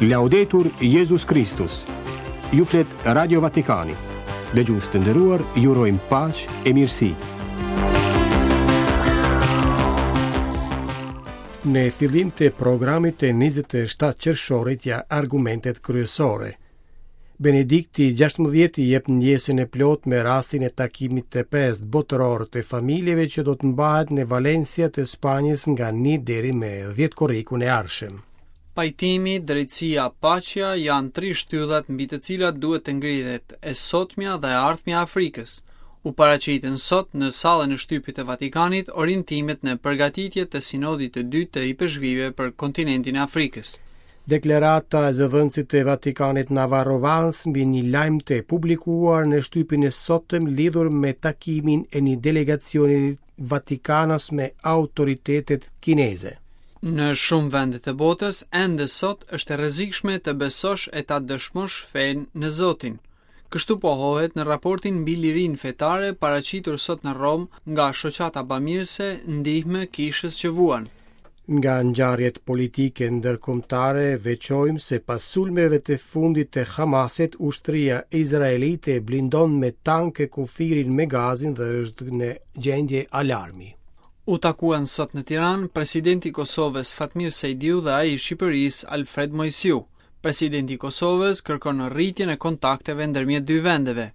Laudetur Jezus Kristus. Ju flet Radio Vatikani. Dëgjues të nderuar, ju urojmë paqe e mirësi. Në fillim të programit të 27 qershorit ja argumentet kryesore. Benedikti XVI jep ndjesën e plotë me rastin e takimit të pestë botëror të familjeve që do të mbahet në Valencia të Spanjës nga 1 deri me 10 korrikun e ardhshëm. Pajtimi, drejtësia, paqja janë tri shtyllat mbi të cilat duhet të ngrihet e sotmja dhe e ardhmja e Afrikës. U paraqitën sot në sallën e shtypit të Vatikanit orientimet në përgatitje të Sinodit të dytë të Ipeshkvijve për kontinentin e Afrikës. Deklarata e zëdhënësit të Vatikanit Navarro Valls mbi një lajm të publikuar në shtypin e sotëm lidhur me takimin e një delegacioni vatikanas me autoritetet kineze. Në shumë vende të botës, ende sot është e rrezikshme të besosh e ta dëshmosh fenë në Zotin. Kështu pohohet në raportin mbi lirinë fetare paraqitur sot në Romë nga shoqata bamirëse Ndihmë Kishës që Vuan. Nga ngjarjet politike ndërkombëtare veçojmë se pas sulmeve të fundit të Hamasit, ushtria izraelite blindon me tanke kufirin me Gazin dhe është në gjendje alarmi. U takuan sot në Tiranë presidenti i Kosovës Fatmir Sejdiu dhe ai i Shqipërisë Alfred Moisiu. Presidenti i Kosovës kërkon rritjen e kontakteve ndërmjet dy vendeve.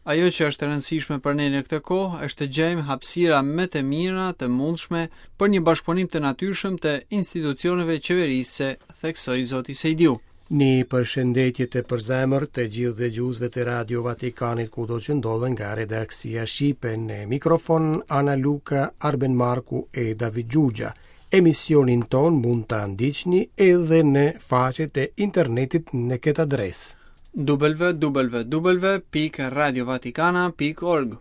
Ajo që është e rëndësishme për ne në këtë kohë është të gjejmë hapësira më të mira të mundshme për një bashkëpunim të natyrshëm të institucioneve qeverisëse, theksoi zoti Sejdiu. Një përshëndetje të përzemërt të gjithë dëgjuesve të Radio Vatikanit kudo që ndodhen nga redaksia shqipe në mikrofon Ana Luka, Arben Marku e David Xhuxha. Emisionin tonë mund ta ndiqni edhe në faqet e internetit në këtë adresë. www.radiovatikana.org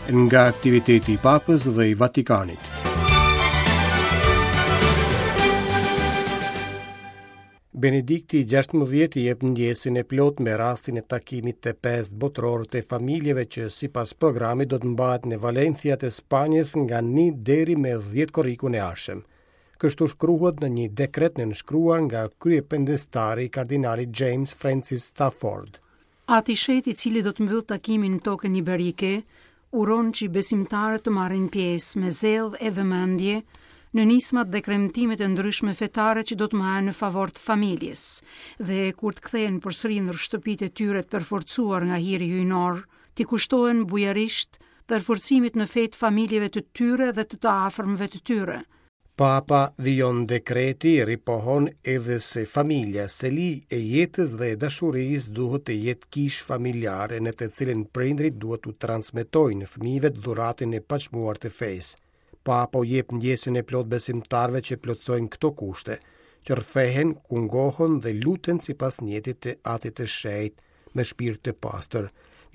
Nga aktiviteti i Papës dhe i Vatikanit. Benedikti XVI jep ndjesën e plotë me rastin e takimit të pestë botëror të familjeve që sipas programit do të mbahet në Valencia të Spanjës nga 1 deri me 10 korrikun e ardhshëm. Kështu shkruhet në një dekret nënshkruar nga kryependestari kardinali James Francis Stafford. Ati i Shenjtë i cili do të mbyllë takimin në tokën iberike, uron që besimtarët të marrin pjesë me zell e vëmendje në nismat dhe kremtimet e ndryshme fetare që do të mbahen në favor të familjes dhe kur të kthehen përsëri në shtëpitë e tyre të përforcuar nga hiri hyjnor, t'i kushtohen bujarisht përforcimit në fe të familjeve të tyre dhe të të afërmve të tyre. Papa, vijon dekreti, ripohon edhe se familja, seli e jetës dhe e dashurisë duhet të jetë kishë familjare në të cilën prindërit duhet t'u transmetojnë fëmijëve dhuratën e paçmuar të fesë. Papa u jep ndjesën e plotë besimtarëve që plotësojnë këto kushte, që rrëfehen, kungohen dhe luten sipas nijetit të Atit të Shenjtë, me shpirt të pastër,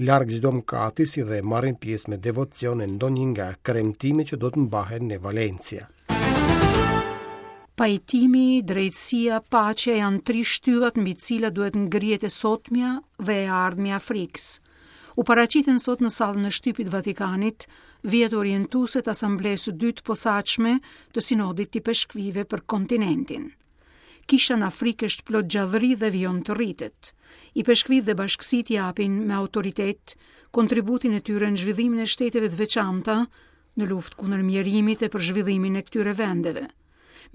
larg çdo mëkati si dhe marrin pjesë me devocion në ndonjë nga kremtimet që do të mbahen në Valencia. Pajtimi, drejtësia, paqja janë tri shtyllat mbi të cilat duhet ngrihet e sotmja dhe e ardhmja e Afrikës. U paraqitën sot në sallën e shtypit të Vatikanit vijat orientuese të Asamblesë së Dytë të Posaçme të Sinodit të Ipeshkvijve për kontinentin. Kisha në Afrikë është plot gjallëri dhe vijon të rritet. Ipeshkvijtë dhe bashkësitë japin me autoritet kontributin e tyre në zhvillimin e shteteve të veçanta në luftë kundër mjerimit e për zhvillimin e këtyre vendeve.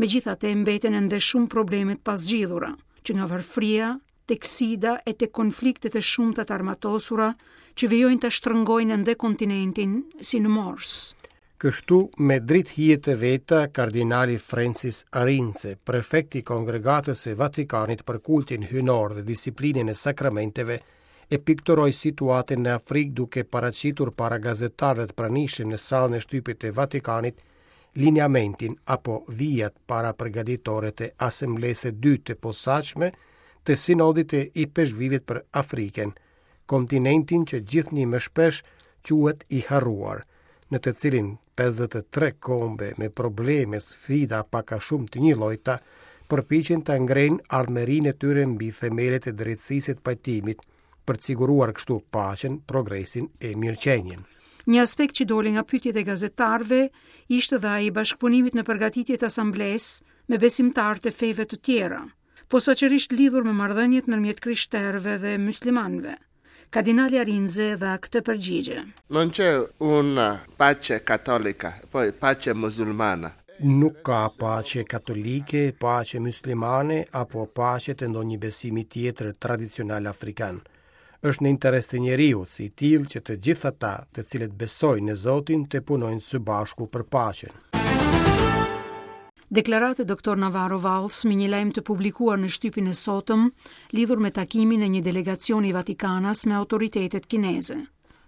Megjithatë, mbeten ende shumë probleme të pazgjidhura, që nga varfëria, tek sida e tek konfliktet e shumta të armatosura që vijojnë ta shtrëngojnë ende kontinentin si në morsë. Kështu, me dritëhijet e veta, kardinali Francis Arinze, prefekt i Kongregatës së Vatikanit për kultin hyjnor dhe disiplinën e sakramenteve, e pikturoi situatën në Afrikë duke paraqitur para gazetarëve të pranishëm në sallën e shtypit të Vatikanit lineamentin apo vijat parapërgatitore të Asamblesë së Dytë të Posaçme të Sinodit të Ipeshkvijve për Afrikën, kontinentin që gjithnjë më shpesh quhet i harruar, në të cilin 53 kombe me probleme, sfida pak a shumë të njëllojta, përpiqen ta ngrejnë ardhmërinë e tyre mbi themelet e drejtësisë e të pajtimit, për të siguruar kështu paqen, progresin e mirëqenien. Një aspekt që doli nga pyetjet e gazetarëve ishte dhe ai i bashkëpunimit në përgatitje të asamblesë me besimtarë të feve të tjera, posaçërisht lidhur me marrëdhëniet ndërmjet krishterëve dhe myslimanëve. Kardinali Arinze dha këtë përgjigje. Non c'è una pace cattolica, poi pace musulmana. Nuk ka paqe katolike, paqe myslimane apo paqe të ndonjë besimi tjetër tradicional afrikan. Është në interes të njeriut si i tillë që të gjithë ata, të cilët besojnë në Zotin, të punojnë së bashku për paqen. Deklaratë e Doktor Navarro Valls me një lajm të publikuar në shtypin e sotëm lidhur me takimin e një delegacioni vatikanas me autoritetet kineze.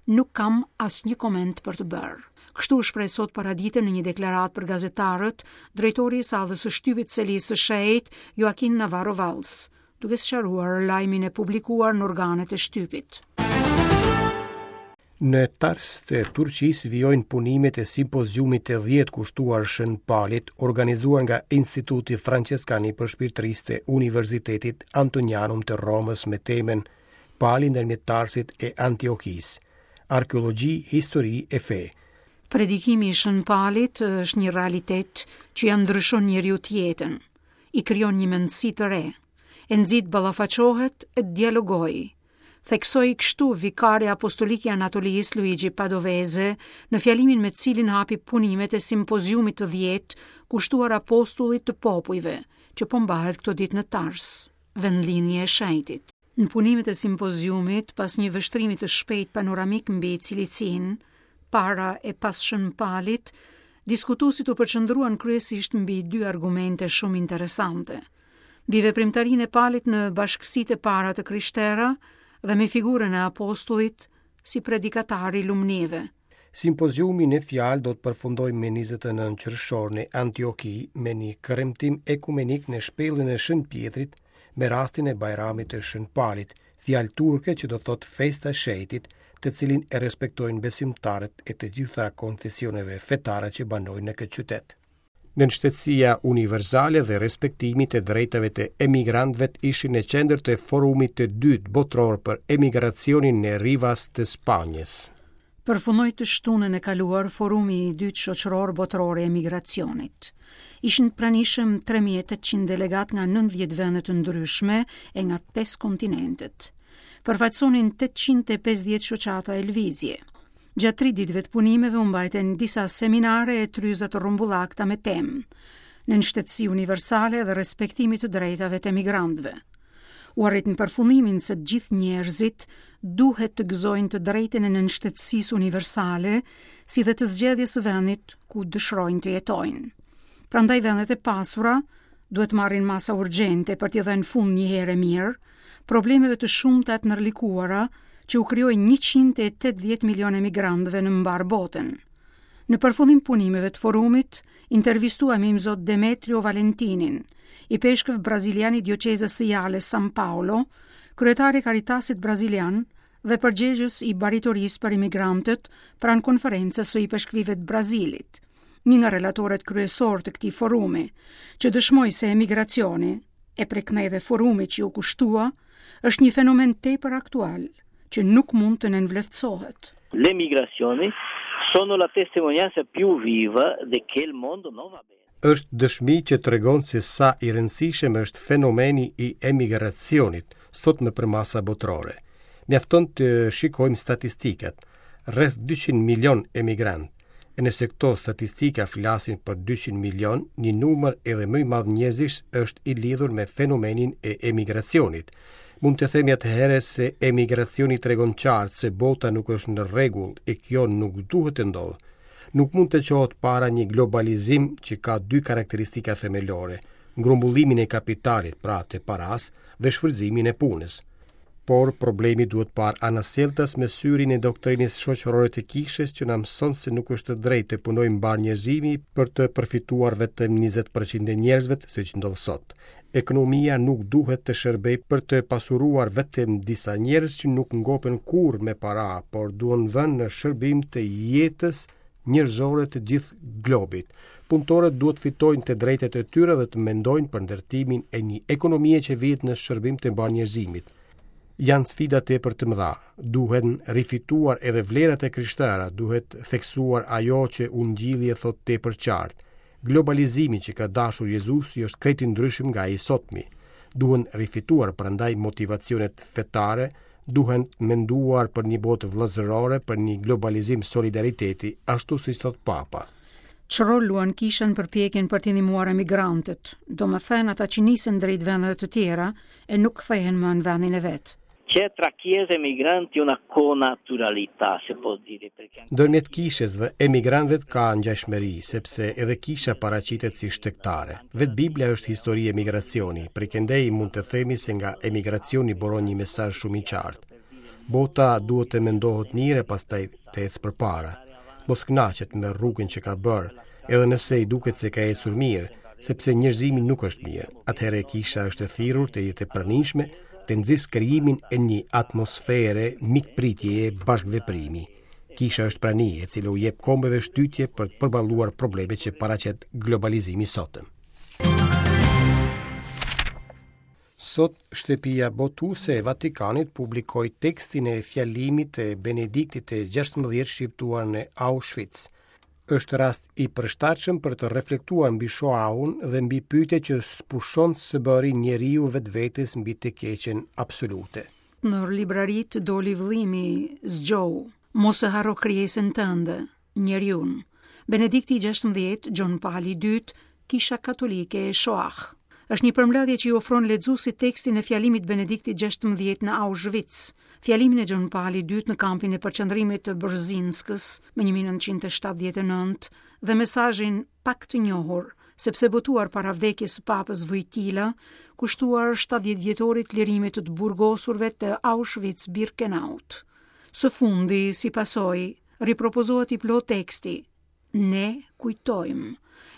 Nuk kam asnjë koment për të bërë. Kështu u shpreh sot paradite në një deklaratë për gazetarët, drejtori i sallës së shtypit Selisë së Shenjtë, Joaquin Navarro Valls, duke sqaruar lajmin e publikuar në organet e shtypit. Në Tars të Turqisë vijojnë punimet e simpoziumit të 10 kushtuar Shën Palit, organizuar nga Instituti Franceskan i Përshpirtërisë të Universitetit Antonianum të Romës me temën Pali ndërmjet Tarsit e Antiokisë, arkeologji, histori e fe. Predikimi i Shën Palit është një realitet që ia ndryshon njeriut jetën. i krijon një mendësi të re, e nxit të ballafaqohet e të dialogojë. Theksoi kështu vikari apostolik i Anatolisë Luigi Padovese në fjalimin me të cilin hapi punimet e simpoziumit të 10 kushtuar apostullit të popujve, që po mbahet këto ditë në Tars, vendlindje e shenjtit. Në punimet e simpoziumit, pas një vështrimi të shpejtë panoramik mbi Cilicinë, para e pas Shën Palit, diskutuesit u përqendruan kryesisht mbi dy argumente shumë interesante. Mbi veprimtarinë e Palit në bashkësitë e para të krishtera dhe me figurën e apostullit si predikatar i lumnive. Simpoziumi në fjalë do të përfundojë më 29 qershor në Antioki me një kremtim ekumenik në shpellën e Shën Pjetrit me rastin e Bajramit të Shën Palit, fjalë turke që do të thotë festa e shenjtit, të cilin e respektojnë besimtarët e të gjitha konfesioneve fetare që banojnë në këtë qytet. Nënshtetësia universale dhe respektimi i të drejtave të emigrantëve ishin në qendër të forumit të dytë botëror për emigracionin në Rivas të Spanjës. Përfundoi të shtunën e kaluar forumi i dytë shoqëror botëror i emigracionit. Ishin të pranishëm 3800 delegatë nga 90 vende të ndryshme e nga 5 kontinentet. Përfaqësonin 850 shoqata e lëvizje. Gjatë tri ditëve të punimeve u mbajtën disa seminare e tryeza të rrumbullakta me temë nënshtetësi universale dhe respektimi të drejtave të emigrantëve. U arrit në përfundimin se të gjithë njerëzit duhet të gëzojnë të drejtën e nënshtetësisë universale, si dhe të zgjedhjes së vendit ku dëshirojnë të jetojnë. Prandaj vendet e pasura duhet të marrin masa urgjente për t'i dhënë fund një herë e mirë problemeve të shumta e të ndërlikuara që u krijojnë 180 milionë emigrantëve në mbarë botën. Në përfundim punimeve të forumit, intervistuam Imzot Demetrio Valentinin, ipeshkëv brazilian i dioqezës së Jales San Paulo, kryetar i Caritasit brazilian dhe përgjegjës i baritorisë për emigrantët pranë konferencës së ipeshkvive të Brazilit, një nga relatorët kryesorë të këtij forumi, që dëshmoi se emigracioni, e prej këndej dhe forumi që iu kushtua, është një fenomen tepër aktual, që nuk mund të nënvleftësohet. Le migrazioni sono la testimonianza più viva de che il mondo non va bene. Është dëshmi që tregon se sa i rëndësishëm është fenomeni i emigracionit sot në përmasa botërore. Mjafton të shikojmë statistikat. Rreth 200 milion emigrantë. E nëse këto statistika flasin për 200 milion, një numër edhe më i madh njerëzish është i lidhur me fenomenin e emigracionit. Mund të themi atëherë se emigracioni tregon qartë se bota nuk është në rregull e kjo nuk duhet të ndodhë. Nuk mund të çohet para një globalizim që ka dy karakteristika themelore, grumbullimin e kapitalit, pra të parasë, dhe shfrytëzimin e punës. Por problemi duhet parë anasjelltas me syrin e doktrinës shoqërore të kishës që na mëson se nuk është e drejtë të punojë mbarë njerëzimi për të përfituar vetëm 20% e njerëzve, siç ndodh sot. Ekonomia nuk duhet të shërbejë për të pasuruar vetëm disa njerëz që nuk ngopen kurrë me para, por duhen vënë në shërbim të jetës njerëzore të gjithë globit. Punëtorët duhet të fitojnë të drejtat e tyre dhe të mendojnë për ndërtimin e një ekonomie që vihet në shërbim të mbarë njerëzimit. Janë sfida tepër të mëdha. Duhen rifituar edhe vlerat e krishtera, duhet theksuar ajo që Ungjilli e thotë tepër qartë. Globalizimi që ka dashur Jezusi është krejt i ndryshëm nga ai i sotmi. Duhen rifituar prandaj motivacionet fetare, duhen menduar për një botë vëllazërore, për një globalizim solidariteti, ashtu siç thotë Papa. Ç'rol luan kisha në përpjekjen për të ndihmuar emigrantët, domethënë ata që nisen drejt vendeve të tjera e nuk kthehen më në vendin e vet. C'è tra chiesa e migranti una connaturalità, se può dire, perché anche Ndërmjet kishës dhe emigrantëve ka ngjashmëri, sepse edhe kisha paraqitet si shtegtare. Vetë Bibla është histori emigracioni, prej këndej mund të themi se nga emigracioni buron një mesazh shumë i qartë. Bota duhet të mendohet mirë e pastaj të ecë përpara. Mos kënaqet me rrugën që ka bërë, edhe nëse i duket se ka ecur mirë, sepse njerëzimi nuk është mirë. Atëherë kisha është e thirrur të jetë e pranishme, të nxisë krijimin e një atmosfere mikpritjeje bashkëveprimi. Kisha është prani e cila u jep kombeve shtytje për të përballuar problemet që paraqet globalizimi i sotëm. Sot, Shtëpia Botuese e Vatikanit publikoi tekstin e fjalimit të Benediktit të 16 shqiptuar në Auschwitz. Është rast i përshtatshëm për të reflektuar mbi Shoahun dhe mbi pyetjet që s'pushon së bëri njeriu vetvetes mbi të keqen absolute. Në libraritë doli vëllimi Zgjohu, mos e harro krijesën tënde. Njeriun. Benedikti i 16, Gjon Pali i Dytë, Kisha Katolike e Shoah. Është një përmbledhje që i ofron lexuesit tekstin e fjalimit Benediktit 16 në Auschwitz, fjalimin e Gjon Palit i Dytë në kampin e përqendrimit të Brzinskës më 1979 dhe mesazhin pak të njohur, sepse botuar para vdekjes së Papës Wojtyla, kushtuar 70 vjetorit lirimit të të burgosurve të Auschwitz-Birkenaut. Së fundi, si pasojë, ripropozohet i plotë teksti. Ne kujtojmë.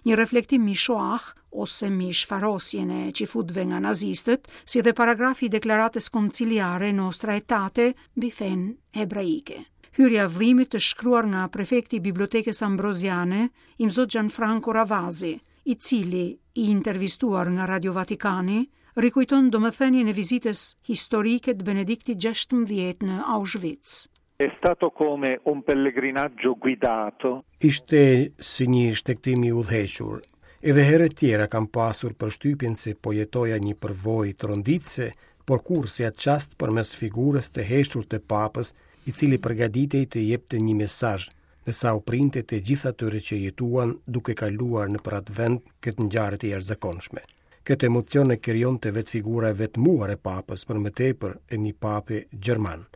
Një reflektim mbi Shoah ose mbi shfarosjen e çifutëve nga nazistët, si dhe paragrafi i deklaratës konciliare Nostra Aetate mbi fenë hebraike. Hyrja e vëllimit është shkruar nga prefekti i Bibliotekës Ambroziane, Imzot Gianfranco Ravasi, i cili, i intervistuar nga Radio Vatikani, rikujton domethënien e vizitës historike të Benediktit XVI në Auschwitz. È stato come un pellegrinaggio guidato. Ishte si një shtegtim i udhëhequr. Edhe herë të tjera kam pasur përshtypjen se po jetoja një përvojë tronditëse, por kurrë si atë çast përmes figurës të heshtur të Papës, i cili përgatitej të jepte një mesazh, ndërsa u printe të gjithë atyre që jetuan duke kaluar nëpër atë vend këtë ngjarje të jashtëzakonshme. Këtë emocion e krijonte vetë figura e vetmuar e Papës, për më tepër e një pape gjerman.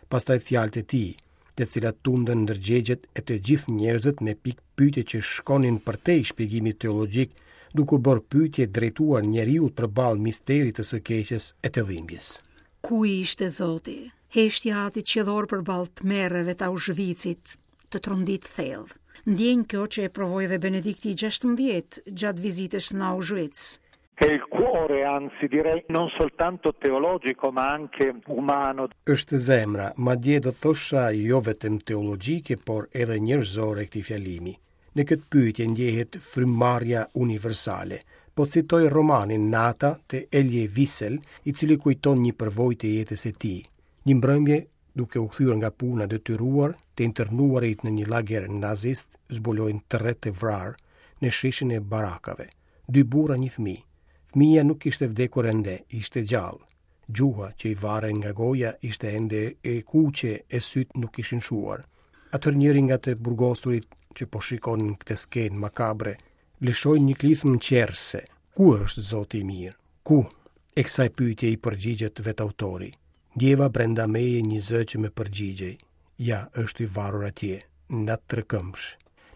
Pastaj fjalët e tij, të cilat tundën ndërgjegjet e të gjithë njerëzit me pikëpyetje që shkonin përtej shpjegimit teologjik, duke u bërë pyetje drejtuar njeriut përballë misterit të së keqes e të dhimbjes. Ku ishte Zoti? Heshtja e Atit Qiellor përballë tmerreve të Aushvicit, të trondit thellë. Ndjenjë kjo që e provoi dhe Benedikti i 16 gjatë vizitës në Auschwitz. È il cuore, anzi direi non soltanto teologico ma anche umano. Është zemra, madje do thosha jo vetëm teologjike, por edhe njerëzore e këtij fjalimi. Në këtë pyetje ndjehet frymëmarrja universale. Po citoj romanin Nata të Elie Wiesel, i cili kujton një përvojë të jetës së tij. Një mbrëmje, duke u kthyer nga puna detyruar, të internuarit në një lager nazist zbulojnë tre të vrarë në sheshin e barakave. Dy burra, një fëmijë. Fëmija nuk kishte vdekur ende, ishte gjallë. Gjuha që i varej nga goja ishte ende e kuqe e sytë nuk ishin shuar. Atëherë njëri nga të burgosurit që po shikonin këtë skenë makabre, lëshoi një klithmë çerrëse. Ku është Zoti i mirë? Ku? E kësaj pyetje i përgjigjet vetë autori. Ndjeva brenda meje një zë që më përgjigjej. Ja, është i varur atje, në atë trekëmbësh.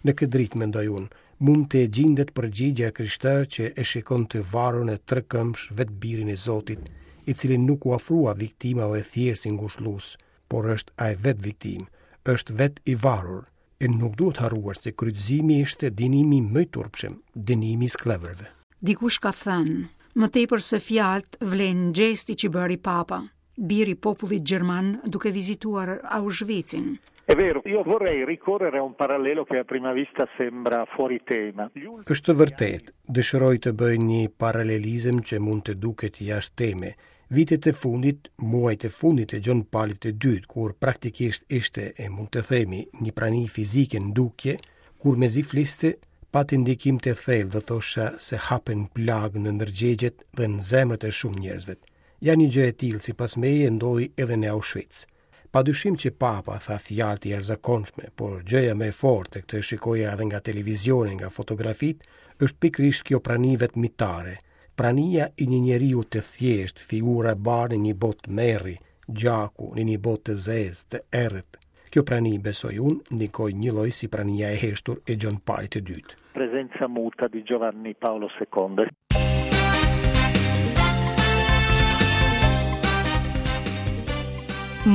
Në këtë dritë, mendoj unë, mund të gjindet përgjigja e krishterë që e shikon të varur në trekëmbësh vetë birin e Zotit, i cili nuk u afrua viktimave thjesht si ngushëllues, por është ai vetë viktimë, është vetë i varur, e nuk duhet harruar se kryqëzimi ishte dënimi më i turpshëm, dënimi i skllevërve. Dikush ka thënë, më tepër se fjalët vlen gjesti që bëri Papa, biri i popullit gjerman duke vizituar Auschwitzin. È vero, io vorrei ricorrere a un parallelo che a prima vista sembra fuori tema. Është vërtet, dëshiroj të bëj një paralelizëm që mund të duket jashtë teme. Vitet e fundit, muajt e fundit të Gjon Palit të Dytë, kur praktikisht ishte, e mund të themi, një prani fizike në dukje, kur mezi fliste, pati ndikim të thellë, do thosha se hapën plagë në ndërgjegjet dhe në zemrat e shumë njerëzve. Ja një gjë e tillë sipas meje ndodhi edhe në Auschwitz. Pa dyshim që Papa tha fjalë të jashtëzakonshme, por gjëja më e fortë, e këtë e shikoja edhe nga televizioni, nga fotografitë, është pikërisht kjo prani vetmitare, prania e një njeriu të thjeshtë, figura e bardhë në një botë tmerri, gjaku, në një botë të zezë, të errët. Kjo prani, besoj unë, ndikoi njëlloj si prania e heshtur e Gjon Palit të Dytë. Presenza muta di Giovanni Paolo II.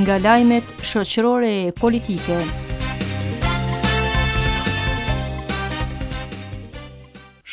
Nga lajmet shoqërore e politike.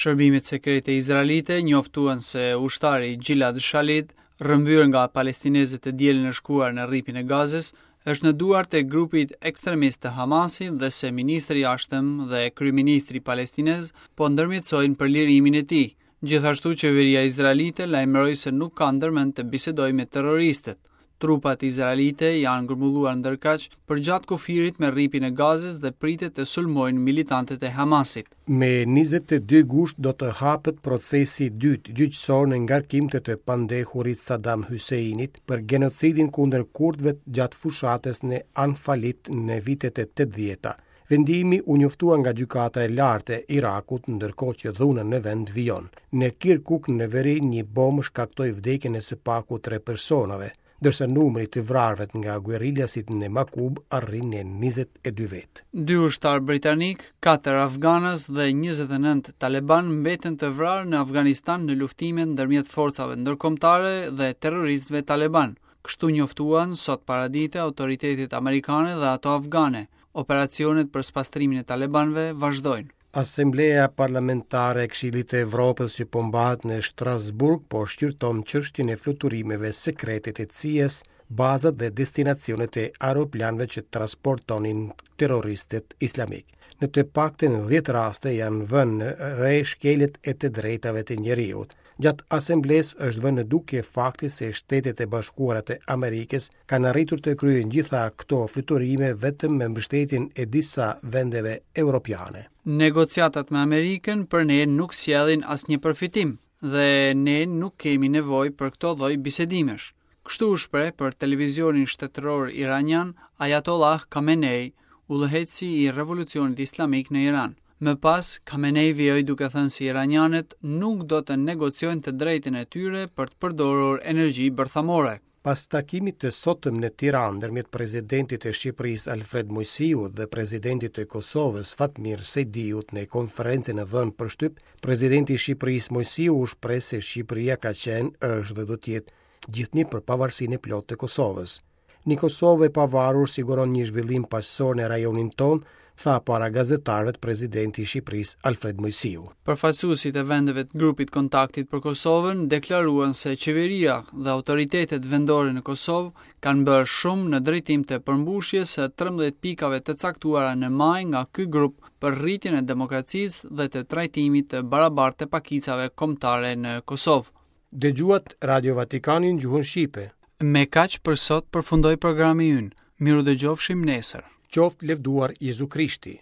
Shërbimet sekrete izraelite njoftuan se ushtari Gilad Shalit, rrëmbyer nga palestinezët të dielën e shkuar në Rripin e Gazës, është në duart e grupit ekstremist të Hamasit dhe se ministri i Jashtëm dhe kryeministri palestinez po ndërmjetësojnë për lirimin e tij. Gjithashtu qeveria izraelite lajmëroi se nuk ka ndërmend të bisedojë me terroristët. Trupat izraelite janë grumbulluar ndërkaq përgjatë kufirit me Rripin e Gazës dhe pritet të sulmojnë militantët e Hamasit. Me 22 gusht do të hapet procesi i dytë gjyqësor në ngarkim të të pandehurit Saddam Husseinit për genocidin kundër kurdëve gjatë fushatës në Anfalit në vitet e 80-ta. Vendimi u njoftua nga Gjykata e Lartë e Irakut, ndërkohë që dhuna në vend vijon. Në Kirkuk në veri një bombë shkaktoi vdekjen e së paku tre personave, ndërsa numri i të vrarëve nga guerrilasit në Makub arrin në 22 vetë. Dy ushtarë britanikë, katër afganas dhe 29 talebanë mbetën të vrarë në Afganistan në luftimet ndërmjet forcave ndërkombëtare dhe terroristëve talebanë. Kështu njoftuan sot paradite autoritetet amerikane dhe ato afgane. Operacionet për spastrimin e talebanëve vazhdojnë. Asambleja Parlamentare e Këshillit të Evropës që po mbahet në Strasburg po shqyrton çështjen e fluturimeve sekrete të CIA-s, bazat dhe destinacionet e aeroplanëve që transportonin terroristët islamikë. Në të paktën 10 raste janë vënë re shkeljet e të drejtave të njeriut. Gjatë asamblesë është vënë në dukje fakti se Shtetet e Bashkuara të Amerikës kanë arritur të kryejnë gjitha këto fluturime vetëm me mbështetjen e disa vendeve europiane. Negociatat me Amerikën për ne nuk sjellin asnjë përfitim dhe ne nuk kemi nevojë për këto lloj bisedimesh. Kështu u shpreh për televizionin shtetëror iranian Ayatollah Khamenei, udhëheqësi i Revolucionit Islamik në Iran. Më pas, Khamenei vijoi duke thënë se iranianët nuk do të negociojnë të drejtën e tyre për të përdorur energji bërthamore. Pas takimit të sotëm në Tiranë ndërmjet presidentit të Shqipërisë Alfred Moisiut dhe presidentit të Kosovës Fatmir Sejdiut në konferencën e dhënë për shtyp, presidenti i Shqipërisë Moisiu u shpreh se Shqipëria ka qenë, është dhe do të jetë gjithnjë për pavarësinë e plotë të Kosovës. Një Kosovë e pavarur siguron një zhvillim paqësor në rajonin tonë, tha para gazetarëve presidenti i Shqipërisë Alfred Moisiu. Përfaqësuesit e vendeve të grupit kontaktit për Kosovën deklaruan se qeveria dhe autoritetet vendore në Kosovë kanë bërë shumë në drejtim të përmbushjes së 13 pikave të caktuara në maj nga ky grup për rritjen e demokracisë dhe të trajtimit të barabartë të pakicave kombëtare në Kosovë. Dëgjuat Radio Vatikanin gjuhën shqipe. Me kaq për sot përfundoi programi ynë. Mirudëgjofshim nesër. Qoftë lëvduar Jezu Krishti.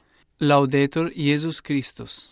Laudetur Jezus Kristus.